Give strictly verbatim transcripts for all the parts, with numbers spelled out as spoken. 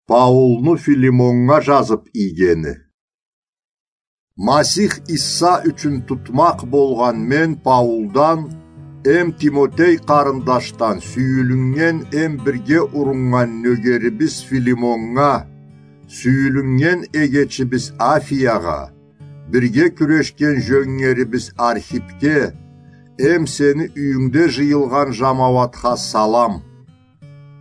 Паулну Филимоннга жазып ийгени. Масих Иса ючюн тутмакъ болгъан мен Паулдан эм Тимотей къарындашдан сюйюлюннген эм бирге уруннган нёгерибиз Филимоннга, сюйюлюннген эгечибиз Афиягъа, бирге кюрешген жёнгерибиз Архипге эм сени юйюнгде жыйылгъан жамауатха салам.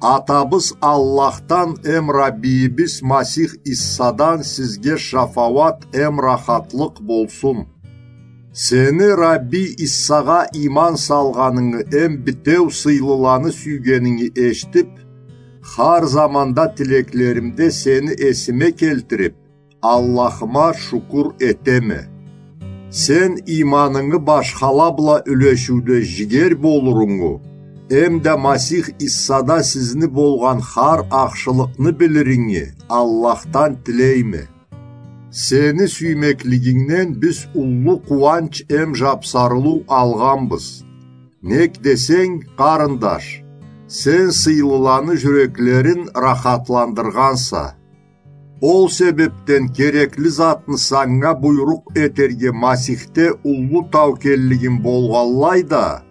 Атабыз Аллахдан эм Раббийибиз Масих Иссадан сизге шафауат эм рахатлыкъ болсун. Сени Раббий Иссагъа иман салгъанынгы эм битеу сыйлыланы сюйгенинги эшитип, хар заманда тилеклеримде сени эсиме келтирип, Аллахыма шукур этеме. Сен иманынгы башхала бла юлешиуде жигер болурунгу, эм да Масих Иссада сизни болгъан хар ахшылыкъны билиринги Аллахдан тилейме. Сени сюймеклигингден биз уллу къууанч эм жапсарылыу алгъанбыз. Нек десенг, къарындаш, сен сыйлыланы жюреклерин рахатландыргъанса. Ол себепден керекли затны санга буйрукъ этерге Масихде уллу таукеллигим болгъанлай да,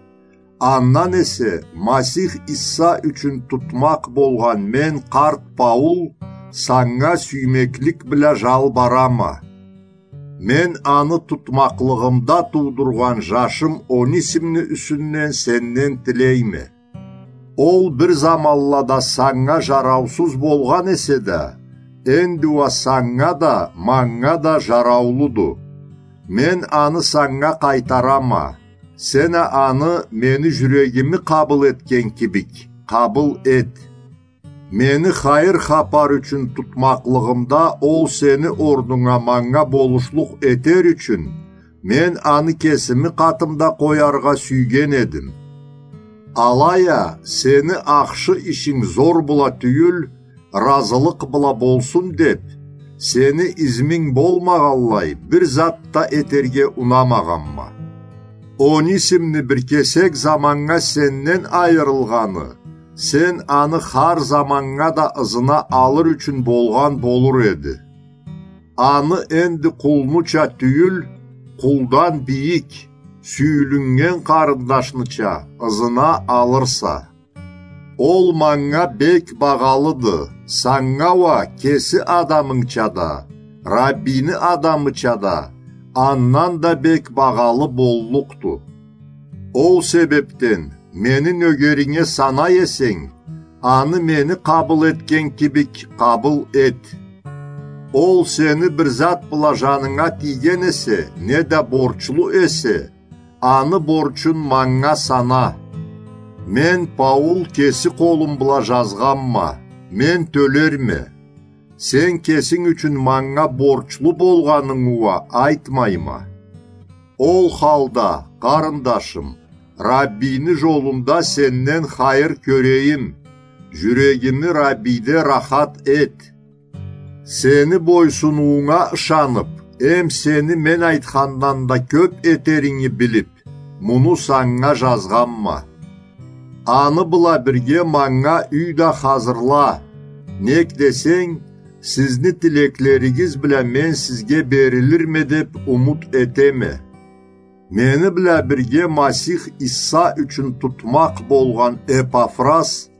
андан эсе Масих Иса ючюн тутмакъ болгъан мен, къарт Паул, санга сюймеклик бла жалбарама. Мен аны тутмакълыгъымда туудургъан жашым Онисимни юсюнден сенден тилейме. Ол бир заманлада санга жараусуз болгъан эсе да, энди уа санга да, манга да жараулуду. Мен аны санга къайтарама. Сен а аны мени жюрегими къабыл этген кибик къабыл эт. Мени хайыр хапар ючюн тутмакълыгъымда ол сени орнунга манга болушлукъ этер ючюн, мен аны кесими къатымда къояргъа сюйген эдим. Алай а, сени ахшы ишинг зор бла тюйюл, разылыкъ бла болсун деп, сени изминг болмагъанлай бир зат да этерге унамагъанма. Онисимни бир кесек заманнга сенден айырылгъаны, сен аны хар заманнга да ызына алыр ючюн болгъан болур эди. Аны энди къулнуча тюйюл, къулдан бийик, сюйюлюннген къарындашныча ызына алырса. Ол манга бек багъалыды, санга уа кеси адамынгча да, Раббийни адамыча да, андан да бек багъалы боллукъду. Ол себепден мени нёгеринге санай эсенг, аны мени къабыл этген кибик къабыл эт. Ол сени бир зат бла жанынга тийген эсе, неда борчлу эсе, аны борчун манга сана. Мен, Паул, кеси къолум бла жазгъанма, мен тёлерме. Сен кесинг ючюн манга борчлу болгъанынгы уа айтмайма. Ол халда, къарындашым, Раббийни жолунда сенден хайыр кёрейим, жюрегими Раббийде рахат эт. Сени бойсунуунга ышанып, эм сени мен айтхандан да кёп этеринги билип, муну санга жазгъанма. Аны бла бирге манга юй да хазырла, нек десенг, сизни тилеклеригиз бла мен сизге берилирме деп умут этеме. Мени бла бирге Масих Иса ючюн тутмакъ болгъан Эпафрас,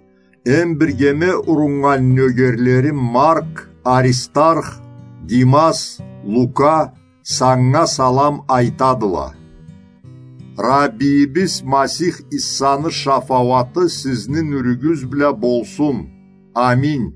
эм биргеме уруннган нёгерлерим Марк, Аристарх, Димас, Лука санга салам айтадыла. Раббийибиз Масих Исаны шафауаты сизни нюрюгюз бла болсун. Аминь.